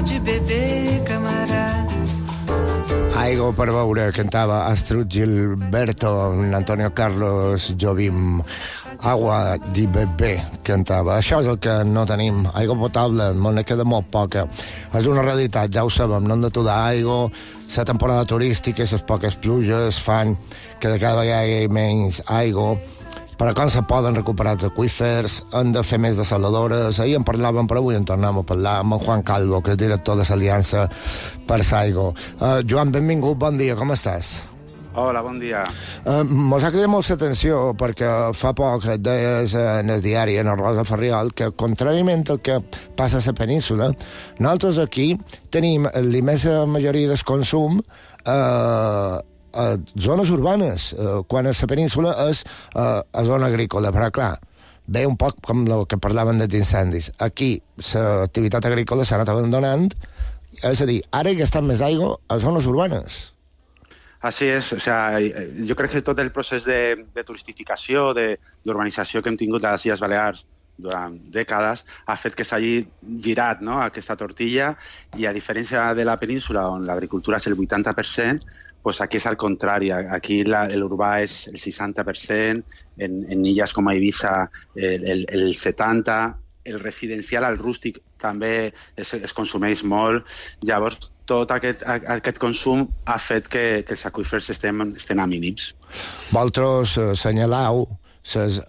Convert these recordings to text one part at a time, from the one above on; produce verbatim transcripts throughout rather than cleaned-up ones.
pode beber, camarada. Aigo per veure, cantava Astrud Gilberto, Antonio Carlos Jobim. Agua di bebè, cantava. Això és el que no tenim. Aigua potable, ne queda molt poca. És una realitat, ja ho sabem, no hem de tudar aigua. La temporada turística, les poques pluges fan que de cada vegada hi hagi menys aigua. Però com se poden recuperar els aqüífers, hem de fer més desaladores. Ahir en parlàvem, però avui en tornem a parlar amb en Juan Calvo, que és director de l'Aliança per l'Aigua. Uh, Joan, benvingut, bon dia, com estàs? Hola, bon dia. Uh, mos ha cridat molt l'atenció perquè fa poc et deies en el diari, en el Rosa Ferriol, que contràriament al que passa a la península, nosaltres aquí tenim l'immensa majoria del consum uh, a zones urbanes, uh, quan a la península és uh, a zona agrícola, però clar, ve un poc com el que parlaven dels incendis. Aquí l'activitat agrícola s'ha anat abandonant, és a dir, ara hi està més aigua a zones urbanes. Así es, o sea, jo crec que tot el procés de, de turistificació, de, d'urbanització que hem tingut a les Illes Balears durant dècades ha fet que s'hagi girat, no?, aquesta tortilla, i a diferència de la península, on l'agricultura és el vuitanta per cent, pues aquí és al contrari. Aquí la, l'urbà és el seixanta per cent, en, en illes com a Eivissa el, el, el setanta per cent, el residencial, el rústic, també es, es consumeix molt. Llavors, tot aquest, aquest consum ha fet que, que els aqüífers estem, estem a mínims. Vosaltres eh, assenyaleu les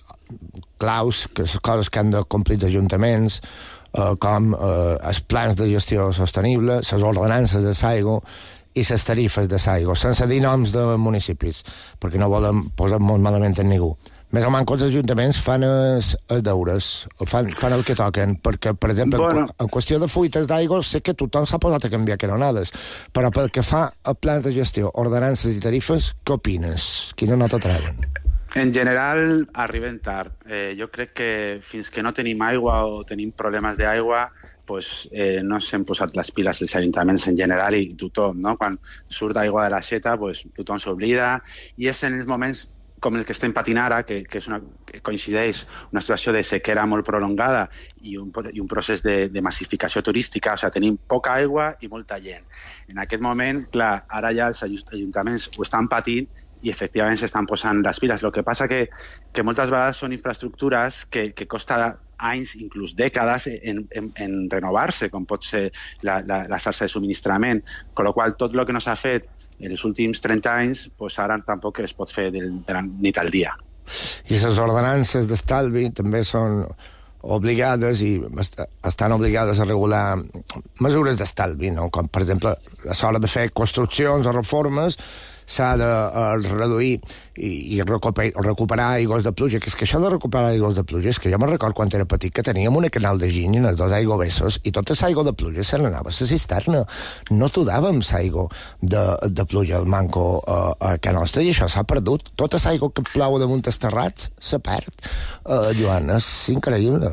claus, que les coses que han de complir els ajuntaments, eh, com eh, els plans de gestió sostenible, les ordenances de l'aigua i les tarifes de l'aigua, sense dir noms de municipis, perquè no volen posar molt malament en ningú. Més o menys els ajuntaments fan els, els deures, fan, fan el que toquen, perquè, per exemple, bueno, en, en qüestió de fuites d'aigua, sé que tothom s'ha posat a canviar canonades, però pel que fa a plans de gestió, ordenances i tarifes, què opines? Quina nota treuen? En general, arriben tard. Eh, jo crec que fins que no tenim aigua o tenim problemes d'aigua, pues, eh, no s'han posat les piles els ajuntaments en general i tothom, no? Quan surt aigua de la xeta, pues, tothom s'oblida, i és en els moments com el que estem patint ara, que, que, és una, que coincideix una situació de sequera molt prolongada i un, i un procés de, de massificació turística, o sigui, tenim poca aigua i molta gent. En aquest moment, clar, ara ja els ajuntaments ho estan patint i efectivament s'estan posant les piles. El que passa que, que moltes vegades són infraestructures que, que costa anys, inclús dècades, en, en, en renovar-se, com pot ser la, la, la xarxa de subministrament. Con lo qual, tot el que no s'ha fet en els últims trenta anys, pues ara tampoc es pot fer del, de la nit al dia. I les ordenances d'estalvi també són obligades i estan obligades a regular mesures d'estalvi, no? Com, per exemple, a l'hora de fer construccions o reformes s'ha de uh, reduir i, i recuperar, recuperar aigües de pluja, que és que això de recuperar aigües de pluja és que jo me'n recordo quan era petit que teníem una canal de giny en els dos aigüevessos i tota l'aigua de pluja se n'anava a la cisterna, no tudàvem l'aigua de, de pluja al manco uh, a Can Nostra, i això s'ha perdut. Tota l'aigua que plou damunt els terrats se perd. uh, Joan, és increïble.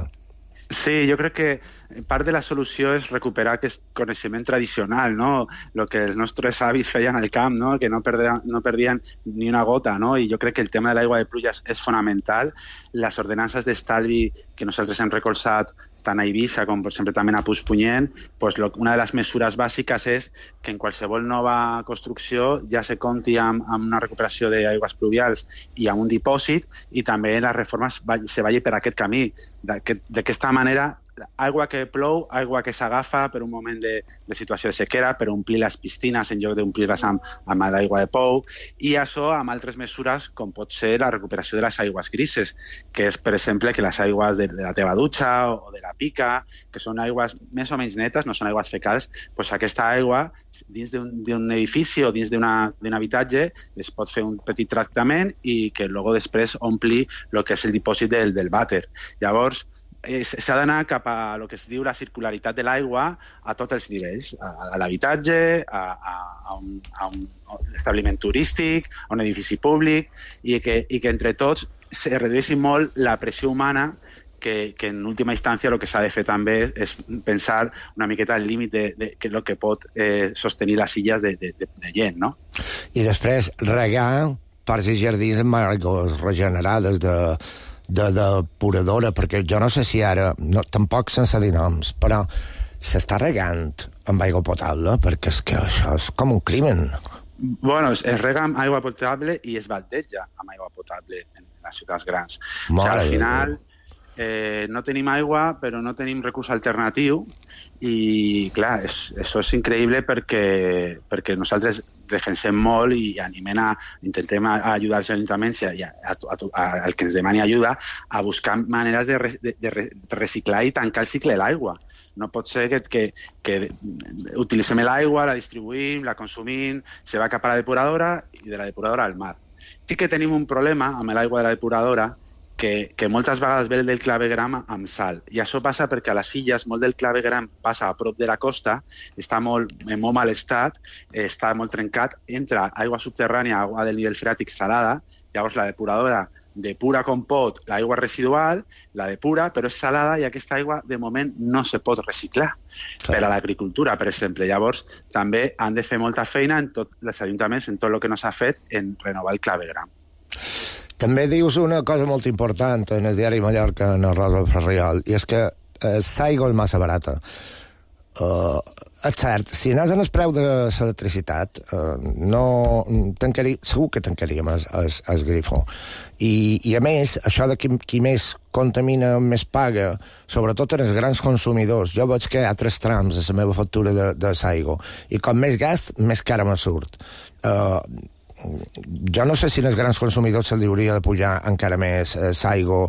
Sí, jo crec que part de la solució és recuperar aquest coneixement tradicional, no? El que els nostres avis feien al camp, no? Que no perdien, no perdien ni una gota, no? I jo crec que el tema de l'aigua de pluja és fonamental. Les ordenances d'estalvi que nosaltres hem recolzat tant a Eivissa com, per exemple, també a Puigpunyent, pues, lo, una de les mesures bàsiques és que en qualsevol nova construcció ja se compti amb, amb una recuperació d'aigües pluvials i amb un dipòsit, i també les reformes va, se vagi per aquest camí. D'aquesta manera, aigua que plou, aigua que s'agafa per un moment de, de situació de sequera, per omplir les piscines en lloc d'omplir-les amb, amb l'aigua de pou, i això amb altres mesures com pot ser la recuperació de les aigües grises, que és, per exemple, que les aigües de, de la teva dutxa o de la pica, que són aigües més o menys netes, no són aigües fecals, doncs aquesta aigua dins d'un edifici o dins d'un habitatge es pot fer un petit tractament i que luego després ompli el que és el dipòsit del, del vàter. Llavors, s'ha d'anar cap a el que es diu la circularitat de l'aigua a tots els nivells, a, a l'habitatge, a, a, a, un, a un establiment turístic, a un edifici públic, i que, i que entre tots se redueixi molt la pressió humana, que, que en última instància el que s'ha de fer també és pensar una miqueta al límit de, de, de lo que pot eh, sostenir les illes de, de, de gent, no? I després regar parcs i jardins amb aigües regenerades de de depuradora, perquè jo no sé si ara, no, tampoc sense dir noms, però s'està regant amb aigua potable, perquè és que això és com un crimen. Bueno, es rega amb aigua potable i es baldeja amb aigua potable en les ciutats grans. O sigui, al final eh, no tenim aigua, però no tenim recurs alternatiu i, clar, és, això és increïble perquè, perquè nosaltres defensem molt i animem a, intentem ajudar els ajuntaments i a, a, a, a, al que ens demani ajuda a buscar maneres de, re, de, de reciclar i tancar el cicle de l'aigua. No pot ser que, que, que utilitzem l'aigua, la distribuïm, la consumim, se va cap a la depuradora i de la depuradora al mar. Sí que tenim un problema amb l'aigua de la depuradora que, que moltes vegades ve del clavegram amb sal. I això passa perquè a les illes molt del clavegram passa a prop de la costa, està molt, en molt mal estat, està molt trencat, entra aigua subterrània, aigua del nivell freàtic salada, llavors la depuradora depura com pot l'aigua residual, la depura, però és salada i aquesta aigua de moment no se pot reciclar per a l'agricultura, per exemple. Llavors també han de fer molta feina en tots els ajuntaments, en tot el que no s'ha fet en renovar el clavegram. També dius una cosa molt important en el diari Mallorca, en el Rosa Ferriol, i és que eh, l'aigua és massa barata. Uh, és cert, si anés en el preu de l'electricitat, uh, no tancaria, segur que tancaríem el, el, el grifo. I, I a més, això de qui, qui més contamina, més paga, sobretot en els grans consumidors. Jo veig que hi ha tres trams a la meva factura de, de l'aigua, i com més gast, més cara me surt. Uh, jo no sé si als grans consumidors se'ls hauria de pujar encara més eh, l'aigua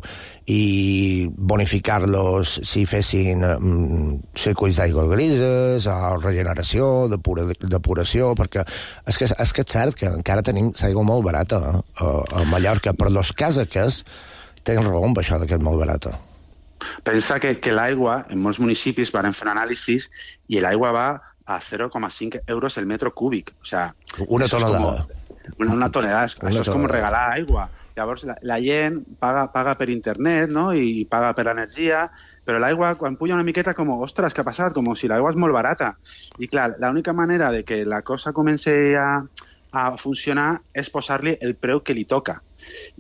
i bonificar-los si fessin mm, circuits d'aigua grises o regeneració, depura, depuració, perquè és que, és que és cert que encara tenim l'aigua molt barata eh, a, a Mallorca, però els casaques tenen raó amb això que és molt barata. Pensa que, que l'aigua, en molts municipis van fer un anàlisi i l'aigua va a zero coma cinc euros el metro cúbic. O sea, una tonelada. Una, una tonelada, una això és com regalar aigua. Llavors la, la gent paga, paga per internet, no?, i paga per l'energia, però l'aigua quan puja una miqueta com, ostres, què ha passat? Com si l'aigua és molt barata. I clar, l'única manera de que la cosa comenci a, a funcionar és posar-li el preu que li toca.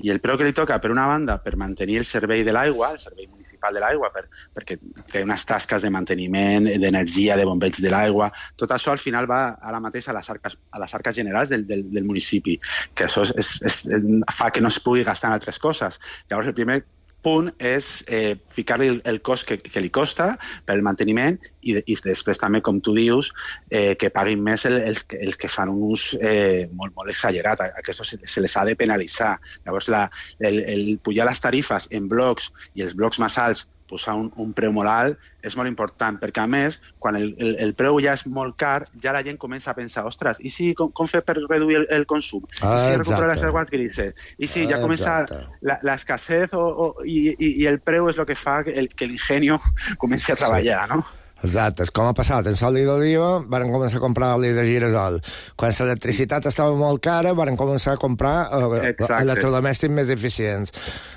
I el preu que li toca, per una banda, per mantenir el servei de l'aigua, el servei municipal de l'aigua, per, perquè té unes tasques de manteniment, d'energia, de bombeig de l'aigua, tot això al final va ara mateix a les arques, a les arques generals del, del, del municipi, que això és, és, és, fa que no es pugui gastar en altres coses. Llavors, el primer punt és eh, ficar-li el, el cost que, que li costa per el manteniment i, i després també, com tu dius, eh, que paguin més el, els, els que fan un ús eh, molt, molt exagerat. A això se, se les ha de penalitzar. Llavors, la, el, el pujar les tarifes en blocs i els blocs més alts, posar un, un preu molt alt, és molt important, perquè a més, quan el, el, el preu ja és molt car, ja la gent comença a pensar, ostres, i si com, com fer per reduir el, el consum? Ah, I si recuperar les aigües grises? I si ja comença l'escassez i, i, i el preu és el que fa que l'ingenio comenci a treballar, sí. No? Exacte, com ha passat en l'oli d'oliva, van començar a comprar oli de girasol. Quan l'electricitat estava molt cara, van començar a comprar eh, electrodomèstics més eficients.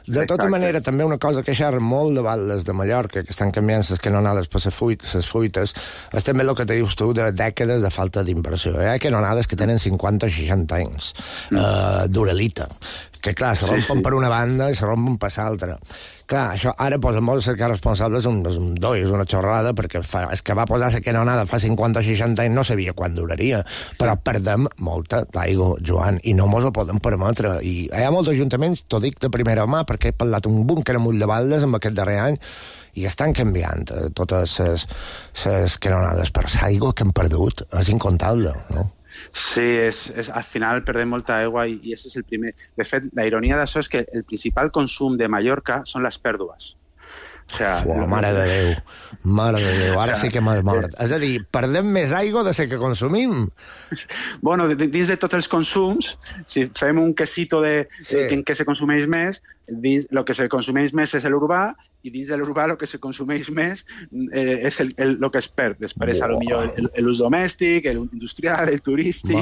De tota Exacte. Manera, també una cosa que xerra molt de Balles de Mallorca, que estan canviant les canonades per les fuites, fuites, és també el que te dius tu de dècades de falta d'inversió. Hi ha canonades que tenen cinquanta o seixanta anys, eh, d'Uralita, que clar, se rompen sí, sí. per una banda i se rompen per l'altra. Clar, això ara posa molt a cercar responsables un, un doi, és una xorrada, perquè fa, és que va posar la canonada fa cinquanta o seixanta anys, no sabia quan duraria, però perdem molta d'aigua, Joan, i no mos ho podem permetre. I hi ha molts ajuntaments, t'ho dic de primera mà, perquè he parlat un búnquer amunt de Baldes amb aquest darrer any, i estan canviant eh, totes les canonades, però l'aigua que hem perdut és incontable, no? Sí, és, és, al final perdem molta aigua i, i això és el primer. De fet, la ironia d'això és que el principal consum de Mallorca són les pèrdues. O sea, Fuà, mare de Déu, mare de Déu, ara o sea, sí que m'has mort. Eh, és a dir, perdem més aigua de ser que consumim. Bueno, dins de tots els consums, si fem un quesito de sí. eh, en què se consumeix més, dins, el que se consumeix més és l'urbà, i dins de l'urbà el que se consumeix més eh, és el, el, el que es perd. Després, a lo millor, l'ús domèstic, l'industrial, el turístic,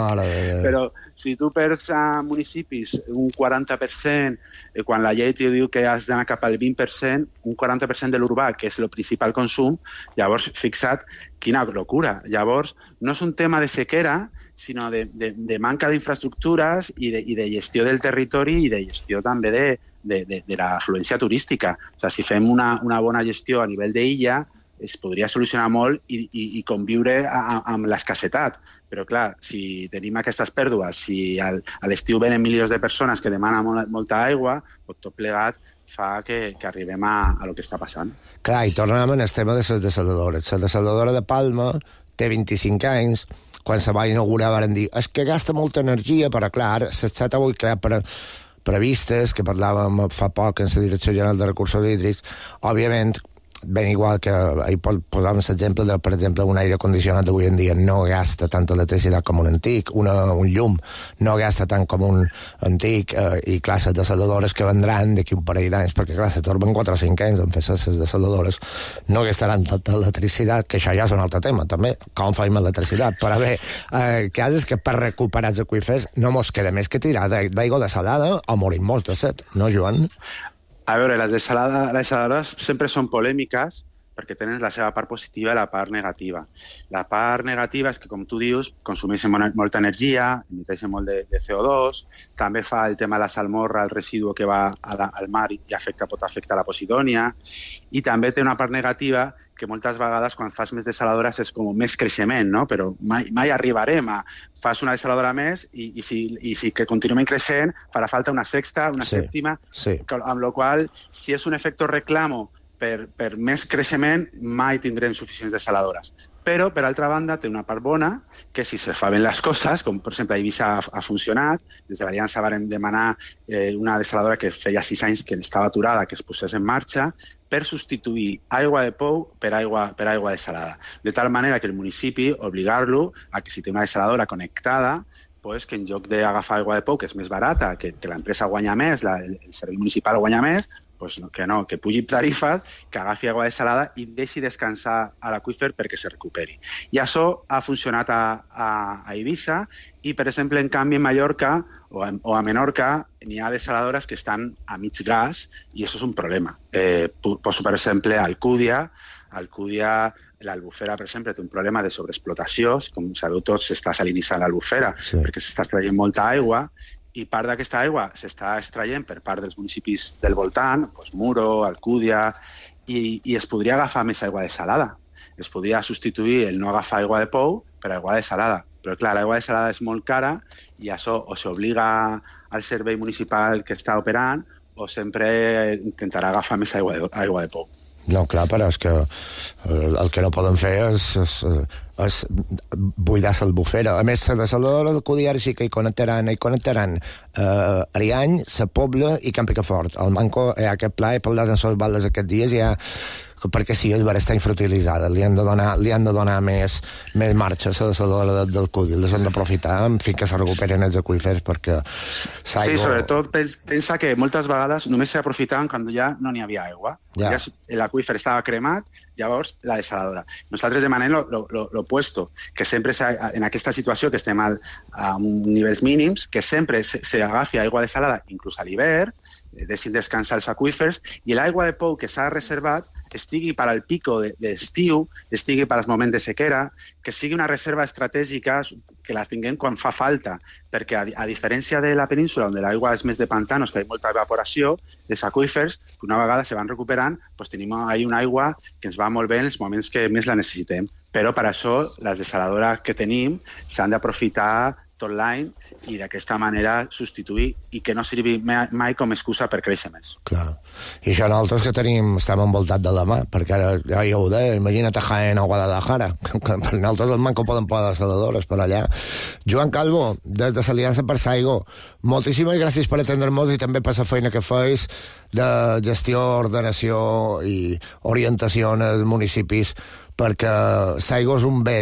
però si tu perds a municipis un quaranta per cent, eh, quan la llei diu que has d'anar cap al vint per cent, un quaranta per cent de l'urbà, que és el principal consum, llavors, fixa't, quina locura. Llavors, no és un tema de sequera, sinó de, de, de manca d'infraestructures i de, i de gestió del territori i de gestió també de, de, de, de l'afluència turística. O sigui, si fem una, una bona gestió a nivell d'illa, es podria solucionar molt i, i, i conviure a, amb l'escassetat. Però, clar, si tenim aquestes pèrdues, si al, a l'estiu venen milions de persones que demanen molt, molta aigua, tot plegat fa que, que arribem a, a lo que està passant. Clar, i tornem al tema de les desaladores. La desaladora de Palma té vint-i-cinc anys, quan se va inaugurar van dir és que gasta molta energia, però clar, ara s'està avui creat per previstes, que parlàvem fa poc en la Direcció General de Recursos Hídrics, òbviament, ben igual que ahir posàvem l'exemple de, per exemple, un aire condicionat d'avui en dia no gasta tanta electricitat com un antic, una, un llum no gasta tant com un antic, eh, i clar, les desaladores que vendran d'aquí un parell d'anys, perquè clar, se torben quatre o cinc anys en fer les desaladores, no gastaran tanta electricitat, que això ja és un altre tema, també, com fem electricitat, però bé, eh, el cas és que per recuperar els aqüífers no mos queda més que tirar d'aigua desalada o morir-nos de set, no, Joan? A veure, les desaladores sempre són polèmiques perquè tenen la seva part positiva i la part negativa. La part negativa és que, com tu dius, consumeixen molta energia, emiteixen molt de, de C O dos, també fa el tema de la salmorra, el residu que va a la, al mar i afecta, pot afectar la Posidònia, i també té una part negativa que moltes vegades quan fas més desaladores és com més creixement, no? Però mai, mai arribarem a fas una desaladora més i, i, si, i si que continuem creixent farà falta una sexta, una sí, sèptima, sí. Amb la qual si és un efecte reclamo per, per més creixement mai tindrem suficients desaladores. Però, per altra banda, té una part bona, que si se fa ben les coses, com per exemple a Eivissa ha, ha funcionat, des de l'Aliança varen demanar eh, una desaladora que feia sis anys que estava aturada, que es posés en marxa, per substituir aigua de pou per aigua, per aigua desalada. De tal manera que el municipi obligar-lo a que si té una desaladora connectada, pues, que en lloc d'agafar aigua de pou, que és més barata, que, que l'empresa guanya més, la, el, el servei municipal guanya més, pues no, que no, que pugi tarifes, que agafi aigua desalada i deixi descansar a l'aqüífer perquè se recuperi. I això ha funcionat a, a, a Eivissa i, per exemple, en canvi, en Mallorca o a, o a Menorca n'hi ha desaladores que estan a mig gas i això és un problema. Eh, poso, per exemple, a Alcúdia. Alcúdia, l'Albufera, per exemple, té un problema de sobreexplotació. Com sabeu tots, s'està salinitzant l'Albufera sí. perquè s'està extraient molta aigua i part d'aquesta aigua s'està extraient per part dels municipis del voltant, doncs Muro, Alcúdia, i, i es podria agafar més aigua desalada. Es podria substituir el no agafar aigua de pou per aigua desalada. Però, clar, l'aigua desalada és molt cara i això o s'obliga al servei municipal que està operant o sempre intentarà agafar més aigua de, aigua de pou. No, clar, però és que el que no poden fer és, és, és buidar l'Albufera. A més, la desaladora del Cudiar sí que hi connectaran, hi connectaran eh, Ariany, la Pobla i Camp Picafort. Al Manco hi ha aquest pla, he parlat en les baldes aquests dies, hi ha perquè sí, és vera, està infrautilitzada, li han de donar, li han de donar més, més marxa a la desaladora del, del Cudi, les han d'aprofitar fins que se recuperen els aqüífers, perquè s'aigua... Sí, sobretot pensa que moltes vegades només s'aprofitaven quan ja no n'hi havia aigua. Ja. Ja l'aqüífer estava cremat, llavors la desaladora. Nosaltres demanem l'opuesto, que sempre en aquesta situació que estem al, a nivells mínims, que sempre s'agafi aigua desalada, inclús a l'hivern, deixin descansar els aqüífers, i l'aigua de pou que s'ha reservat estigui per al pico d'estiu, estigui per als moments de sequera, que sigui una reserva estratègica que la tinguem quan fa falta, perquè a, a diferència de la península, on l'aigua és més de pantanos, que hi ha molta evaporació, els aqüífers, que una vegada se van recuperant, doncs tenim ahí una aigua que ens va molt bé en els moments que més la necessitem. Però per això les desaladores que tenim s'han d'aprofitar tot l'any i d'aquesta manera substituir i que no sirvi mai com a excusa per créixer més. Clar. I això nosaltres que tenim, estem envoltats de la mà, perquè ara ja ho deia, imagina't a Jaén o Guadalajara, que per nosaltres el manco poden posar desaladores per allà. Joan Calvo, des de l'Aliança per Saigo, moltíssimes gràcies per atendre-nos i també per la feina que feis de gestió, ordenació i orientació en els municipis, perquè l'aigua és un bé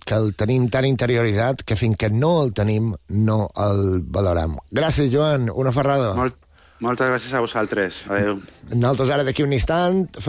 que el tenim tan interioritzat que fins que no el tenim no el valorem. Gràcies, Joan, una ferrada. Molt, moltes gràcies a vosaltres. Adéu. Nosaltres ara d'aquí un instant